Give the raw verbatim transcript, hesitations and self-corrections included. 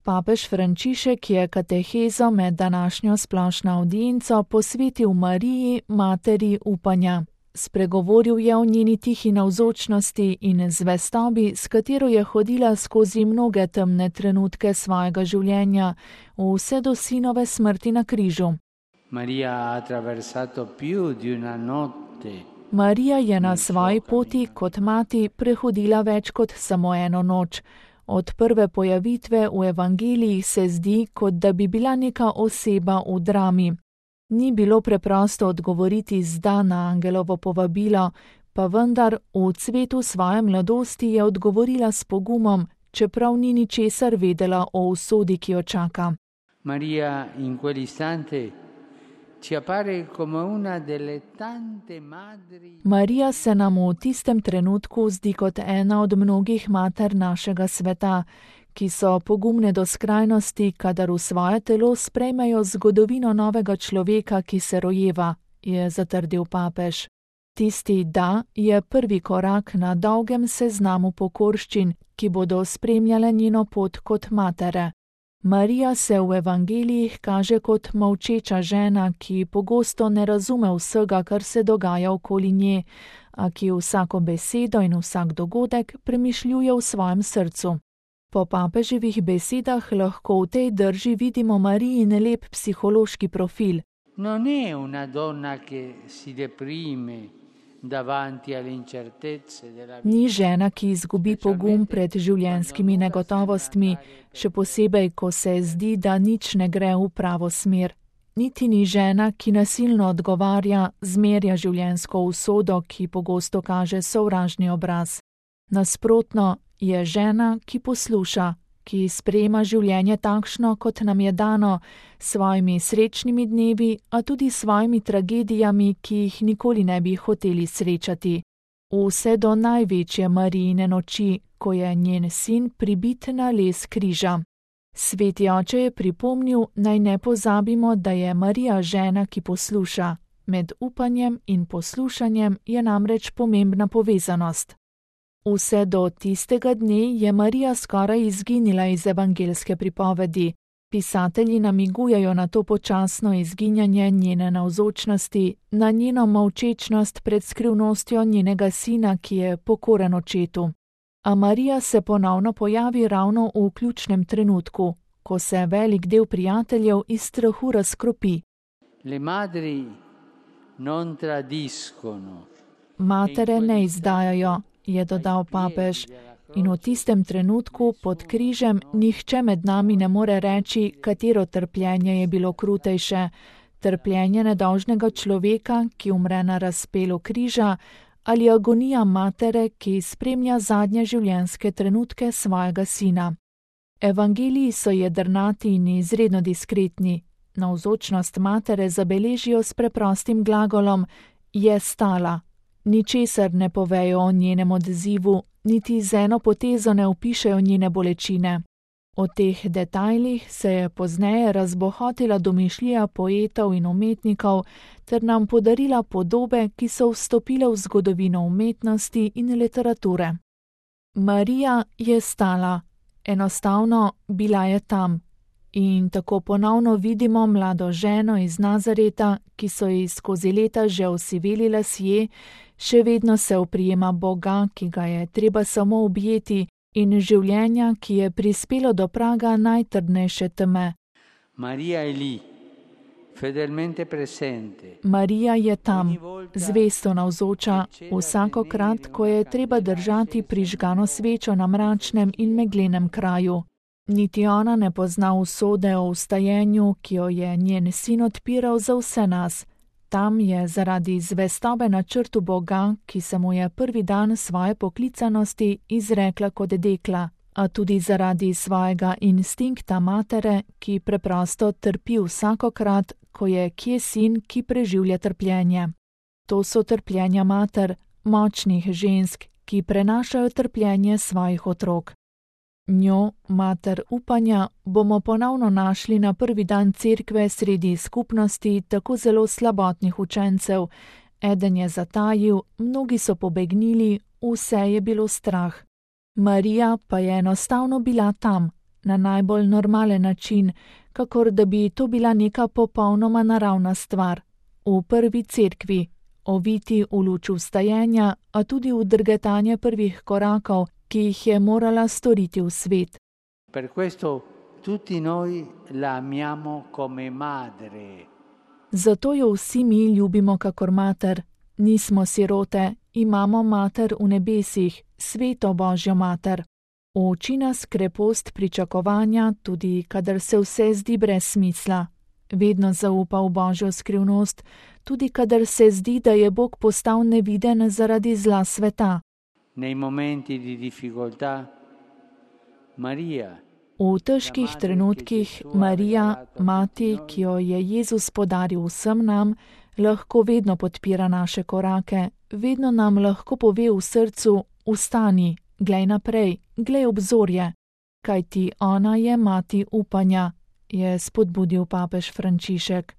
Papež Frančišek je katehezo med današnjo splošno avdienco posvetil Mariji, materi upanja. Spregovoril je o njeni tihi navzočnosti in zvestobi, s katero je hodila skozi mnoge temne trenutke svojega življenja, vse do sinove smrti na križu. Marija je na svoji poti kot mati prehodila več kot samo eno noč. Od prve pojavitve v evangelijih se zdi, kot da bi bila neka oseba v drami. Ni bilo preprosto odgovoriti zda na angelovo povabilo, pa vendar v cvetu svoje mladosti je odgovorila s pogumom, čeprav ni ničesar vedela o usodi, ki jo čaka. Marija in quell'istante ci appare come una delle tante madri. Marija se nam v tistem trenutku zdi kot ena od mnogih mater našega sveta, ki so pogumne do skrajnosti, kadar v svoje telo sprejmejo zgodovino novega človeka, ki se rojeva, je zatrdil papež. Tisti da je prvi korak na dolgem seznamu pokorščin, ki bodo spremljale njeno pot kot matere. Marija se v evangelijih kaže kot molčeča žena, ki pogosto ne razume vsega, kar se dogaja okoli nje, a ki vsako besedo in vsak dogodek premišljuje v svojem srcu. Po papeževih besedah lahko v tej drži vidimo Marijin lep psihološki profil. Non è una donna che si deprime davanti alle incertezze della vita. Ni žena, ki izgubi pogum pred življenjskimi negotovostmi, še posebej, ko se zdi, da nič ne gre v pravo smer. Niti ni žena, ki nasilno odgovarja, zmerja življenjsko usodo, ki pogosto kaže sovražni obraz. Nasprotno, je žena, ki posluša, ki sprejema življenje takšno, kot nam je dano, s svojimi srečnimi dnevi, a tudi s svojimi tragedijami, ki jih nikoli ne bi hoteli srečati. Vse do največje Marijine noči, ko je njen sin pribit na les križa. Sveti oče je pripomnil, naj ne pozabimo, da je Marija žena, ki posluša. Med upanjem in poslušanjem je namreč pomembna povezanost. Vse do tistega dne je Marija skoraj izginila iz evangeljske pripovedi. Pisatelji namigujejo na to počasno izginjanje njene navzočnosti, na njeno molčečnost pred skrivnostjo njenega sina, ki je pokoren očetu. A Marija se ponovno pojavi ravno v ključnem trenutku, ko se velik del prijateljev iz strahu razkropi. Le madri non tradiscono. Matere ne izdajajo, je dodal papež, in v tistem trenutku pod križem nihče med nami ne more reči, katero trpljenje je bilo krutejše, trpljenje nedolžnega človeka, ki umre na razpelu križa, ali agonija matere, ki spremlja zadnje življenjske trenutke svojega sina. Evangeliji so jedrnati in izredno diskretni. Navzočnost matere zabeležijo s preprostim glagolom je stala. Ničesar ne povejo o njenem odzivu, niti z eno potezo ne opišejo njene bolečine. O teh detajlih se je pozneje razbohotila domišljija poetov in umetnikov ter nam podarila podobe, ki so vstopile v zgodovino umetnosti in literature. Marija je stala, enostavno bila je tam. In tako ponovno vidimo mlado ženo iz Nazareta, ki so ji skozi leta že osiveli lasje, še vedno se oprijema Boga, ki ga je treba samo objeti, in življenja, ki je prispelo do praga najtrdnejše teme. Marija je lì, fedelmente presente. Marija je tam, zvesto navzoča, vsakokrat, ko je treba držati prižgano svečo na mračnem in meglenem kraju. Niti ona ne pozna usode o vstajenju, ki jo je njen sin odpiral za vse nas. Tam je zaradi zvestobe načrtu Boga, ki se mu je prvi dan svoje poklicanosti izrekla kot dekla, a tudi zaradi svojega instinkta matere, ki preprosto trpi vsakokrat, ko je kje sin, ki preživlja trpljenje. To so trpljenja mater, močnih žensk, ki prenašajo trpljenje svojih otrok. Njo, mater upanja, bomo ponovno našli na prvi dan cerkve sredi skupnosti tako zelo slabotnih učencev. Eden je zatajil, mnogi so pobegnili, vse je bilo strah. Marija pa je enostavno bila tam, na najbolj normalen način, kakor da bi to bila neka popolnoma naravna stvar. V prvi cerkvi, oviti v luč vstajenja, a tudi v drgetanje prvih korakov, ki jih je morala storiti v svet. Per questo tutti noi la amiamo come madre. Zato jo vsi mi ljubimo kakor mater. Nismo sirote, imamo mater v nebesih, sveto Božjo mater. Uči nas krepost pričakovanja, tudi kadar se vse zdi brez smisla. Vedno zaupa v Božjo skrivnost, tudi kadar se zdi, da je Bog postal neviden zaradi zla sveta. Nei momenti di difficoltà, Maria. V težkih trenutkih Marija, mati, ki jo je Jezus podaril vsem nam, lahko vedno podpira naše korake, vedno nam lahko pove v srcu: vstani, glej naprej, glej obzorje, kajti ona je mati upanja, je spodbudil papež Frančišek.